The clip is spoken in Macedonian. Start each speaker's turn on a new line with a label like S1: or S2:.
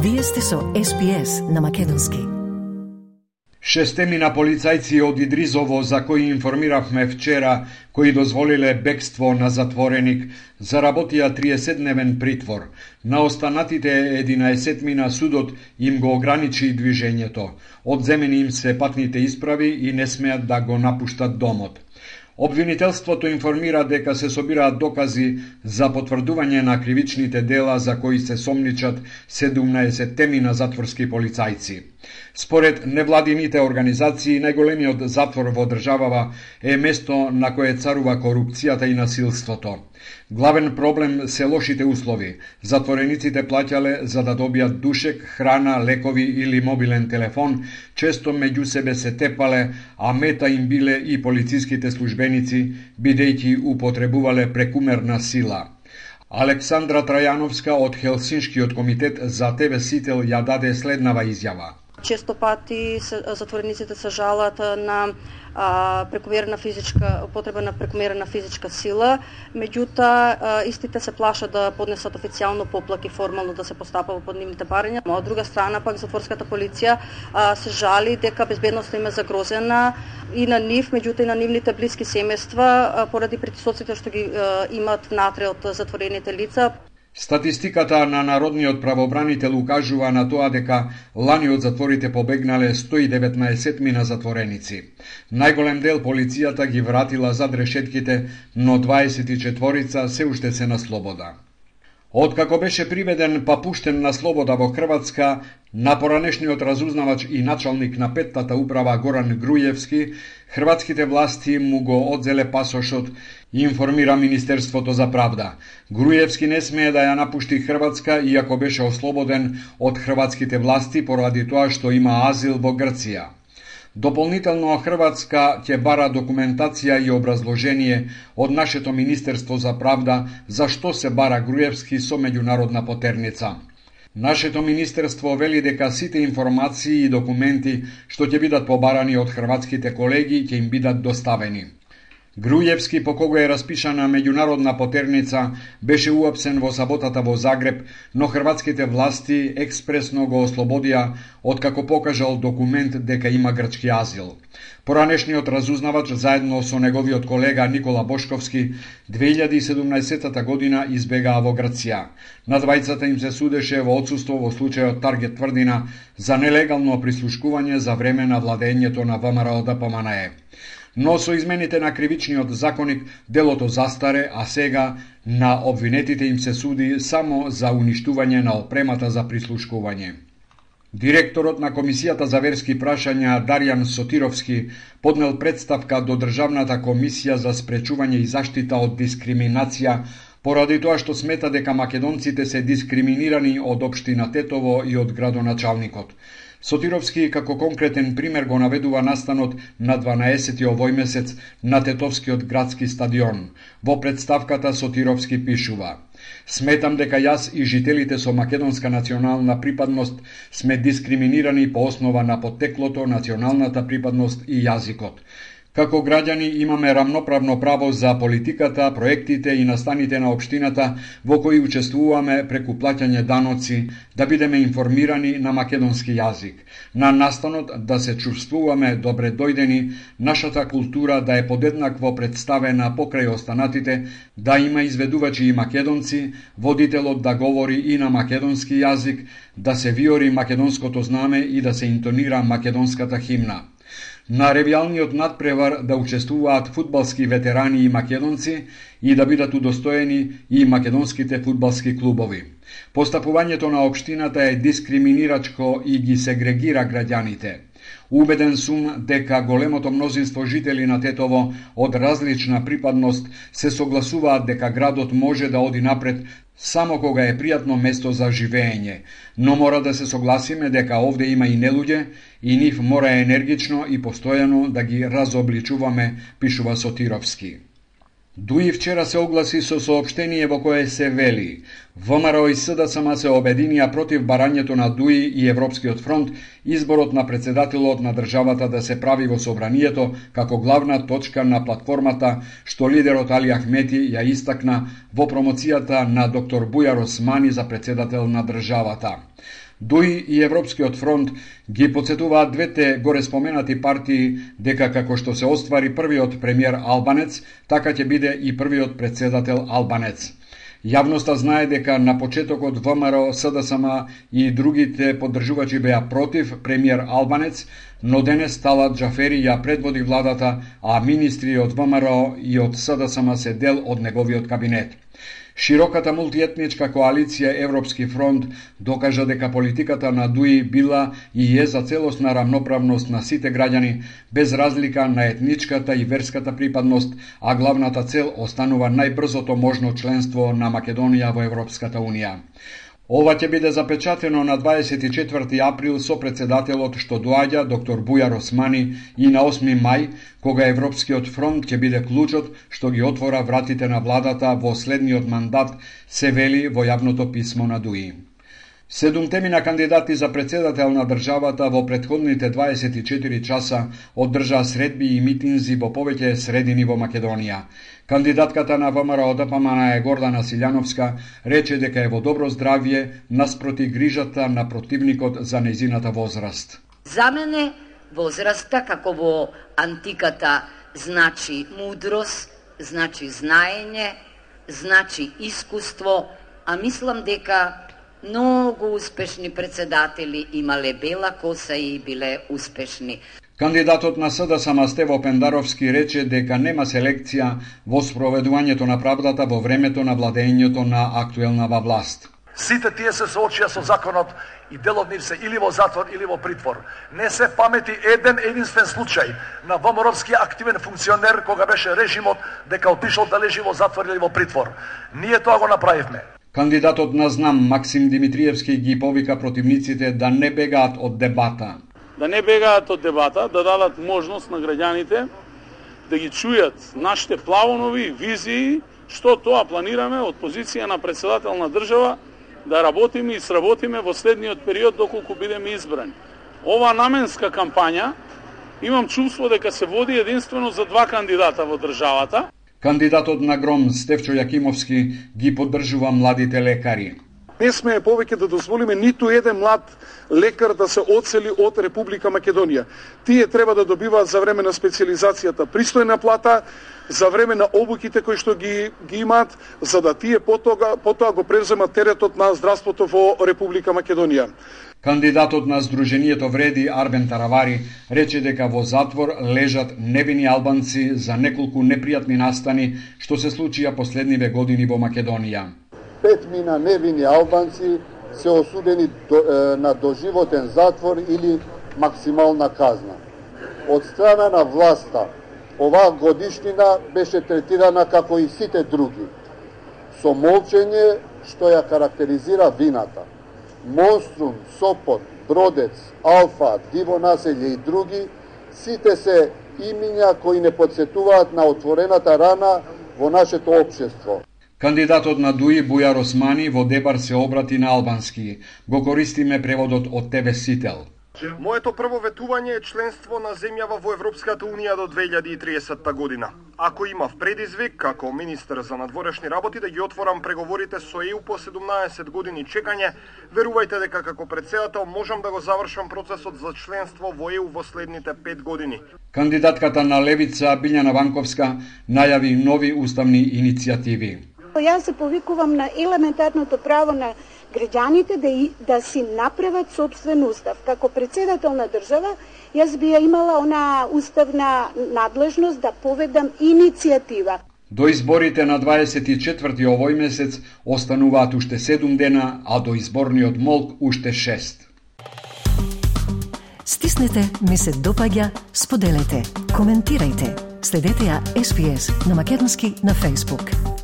S1: Вие сте со SPS на македонски.
S2: Шестемина полицајци од Идризово, за кои информиравме вчера, кои дозволиле бегство на затвореник, заработија 30-дневен притвор. На останатите 11-мина судот им го ограничи движењето. Одземени им се патните исправи и не смеат да го напуштат домот. Обвинителството информира дека се собираат докази за потврдување на кривичните дела за кои се сомничат 17-темина затворски полицајци. Според невладините организации, најголемиот затвор во државава е место на кое царува корупцијата и насилството. Главен проблем се лошите услови. Затворениците плаќале за да добијат душек, храна, лекови или мобилен телефон, често меѓу себе се тепале, а мета им биле и полициските службеници, бидејќи употребувале прекумерна сила. Александра Трајановска од Хелсиншкиот комитет за ТВ Сител ја даде следнава изјава.
S3: Често пати затворениците се жалат на употреба на прекумерна физичка сила, меѓутоа истите се плашат да поднесат официјално поплаки формално да се постапува под нивните барања. Од друга страна пак затворската полиција се жали дека безбедноста им е загрозена и на нив, меѓутоа и на нивните блиски семејства поради притисоците што ги имат внатре од затворените лица.
S2: Статистиката на Народниот правобранител укажува на тоа дека лани од затворите побегнале 119 затвореници. Најголем дел полицијата ги вратила зад решетките, но 24 се уште се на слобода. Откако беше приведен па пуштен на слобода во Хрватска, на поранешниот разузнавач и началник на петтата управа Горан Грујевски, хрватските власти му го одзеле пасошот, информира Министерството за правда. Грујевски не смее да ја напушти Хрватска, иако беше ослободен од хрватските власти поради тоа што има азил во Грција. Дополнително Хрватска ќе бара документација и образложение од нашето Министерство за правда за што се бара Грујевски со меѓународна потерница. Нашето министерство вели дека сите информации и документи што ќе бидат побарани од хрватските колеги ќе им бидат доставени. Грујевски, по кого е распишана меѓународна потерница, беше уапсен во саботата во Загреб, но хрватските власти експресно го ослободија откако покажал документ дека има грчки азил. Поранешниот разузнавач заедно со неговиот колега Никола Бошковски 2017 година избегаа во Грција. На двајцата им се судеше во отсуство во случајот Таргет Тврдина за нелегално прислушкување за време на владењето на ВМРО ДПМНЕ. Но со измените на кривичниот законник делото застаре, а сега на обвинетите им се суди само за уништување на опремата за прислушкување. Директорот на Комисијата за верски прашања Дарјан Сотировски поднел представка до Државната комисија за спречување и заштита од дискриминација поради тоа што смета дека македонците се дискриминирани од општина Тетово и од градоначалникот. Сотировски како конкретен пример го наведува настанот на 12 овој месец на Тетовскиот градски стадион. Во представката Сотировски пишува: "Сметам дека јас и жителите со македонска национална припадност сме дискриминирани по основа на поттеклото, националната припадност и јазикот. Како граѓани имаме рамноправно право за политиката, проектите и настаните на општината во кои учествуваме преку плаќање даноци, да бидеме информирани на македонски јазик. На настанот да се чувствуваме добре дојдени, нашата култура да е подеднакво представена покрај останатите, да има изведувачи и македонци, водителот да говори и на македонски јазик, да се виори македонското знаме и да се интонира македонската химна. На ревијалниот надпревар да учествуваат фудбалски ветерани и македонци и да бидат удостоени и македонските фудбалски клубови. Постапувањето на општината е дискриминирачко и ги сегрегира граѓаните. Убеден сум дека големото мнозинство жители на Тетово од различна припадност се согласуваат дека градот може да оди напред само кога е пријатно место за живење, но мора да се согласиме дека овде има и нелуѓе и нив мора енергично и постојано да ги разобличуваме, пишува Сотировски. Дуи вчера се огласи со соопштение во кое се вели: ВМРО и СДСМ се обединија против барањето на ДУИ и Европскиот фронт, изборот на председателот на државата да се прави во собранието како главна точка на платформата, што лидерот Али Ахмети ја истакна во промоцијата на доктор Бујар Османи за председател на државата. ДУИ и Европскиот фронт ги потсетуваат двете горе споменати партии дека како што се оствари првиот премиер Албанец, така ќе биде и првиот председател Албанец. Јавноста знае дека на почетокот ВМРО, СДСМ и другите поддржувачи беа против премиер Албанец, но денес Талат Џафери ја предводи владата, а министри од ВМРО и од СДСМ се дел од неговиот кабинет. Широката мултиетничка коалиција Европски фронт докажа дека политиката на ДУИ била и е за целосна рамноправност на сите граѓани, без разлика на етничката и верската припадност, а главната цел останува најбрзото можно членство на Македонија во Европската Унија. Ова ќе биде запечатено на 24 април со председателот што доаѓа доктор Бујар Османи и на 8 мај, кога Европскиот фронт ќе биде клучот што ги отвора вратите на владата во следниот мандат, се вели во јавното писмо на ДУИ. 7 кандидати за председател на државата во претходните 24 часа одржаа средби и митинзи во повеќе средини во Македонија. Кандидатката на ВМРО-ДПМН Гордана Силјановска рече дека е во добро здравје наспроти грижата на противникот за нејзината возраст.
S4: За мене возраста, како во антиката, значи мудрост, значи знаење, значи искуство, а мислам дека многу успешни председатели имале бела коса и биле успешни.
S2: Кандидатот на СДСМ Стево Пендаровски рече дека нема селекција во спроведувањето на правдата во времето на владењето на актуелнава власт.
S5: Сите тие се соочија со законот и дел од нив се или во затвор или во притвор. Не се памети единствен случај на ВМРО-вски активен функционер кога беше режимот дека отишол да лежи во затвор или во притвор. Ние тоа го направивме.
S2: Кандидатот на ЗНАМ Максим Димитриевски ги повика противниците да не бегаат од дебата.
S6: Да не бегаат од дебата, да дадат можност на граѓаните да ги чујат нашите планови, визии, што тоа планираме од позиција на председател на држава да работиме и сработиме во следниот период доколку бидеме избрани. Ова наменска кампања имам чувство дека се води единствено за два кандидата во државата.
S2: Кандидатот на ГРОМ Стефчо Јакимовски ги поддржува младите лекари.
S7: Не сме повеќе да дозволиме ниту еден млад лекар да се одсели од Република Македонија. Тие треба да добиваат за време на специализацијата пристојна плата, за време на обуките кои што ги имаат, за да тие потоа го превземат теретот на здравството во Република Македонија.
S2: Кандидатот на Сдруженијето Вреди Арбен Таравари рече дека во затвор лежат невини албанци за неколку непријатни настани што се случија последниве години во Македонија.
S8: 5 невини албанци се осудени на доживотен затвор или максимална казна. Од страна на власта, оваа годишнина беше третирана како и сите други, со молчење што ја карактеризира вината. Монструм, Сопот, Бродец, Алфа, Диво населје и други, сите се имиња кои не подсетуваат на отворената рана во нашето општество.
S2: Кандидатот на ДУИ Бујар Османи во дебар се обрати на албански. Го користиме преводот од тебе Сител.
S9: Моето прво ветување е членство на земјава во Европската Унија до 2030 година. Ако имав предизвик, како министер за надворешни работи, да ги отворам преговорите со ЕУ по 17 години чекање, верувајте дека како председател можам да го завршам процесот за членство во ЕУ во следните 5 години.
S2: Кандидатката на Левица Билјана Ванковска најави нови уставни иницијативи.
S10: Јас се повикувам на елементарното право на граѓаните да си направат собствен устав. Како председател на држава, јас би ја имала она уставна надлежност да поведам иницијатива.
S2: До изборите на 24 овој месец остануваат уште 7 дена, а до изборниот молк уште 6.
S1: Стиснете, ми се допаѓа, споделете, коментирајте. Следете ја SPS на Македонски на Facebook.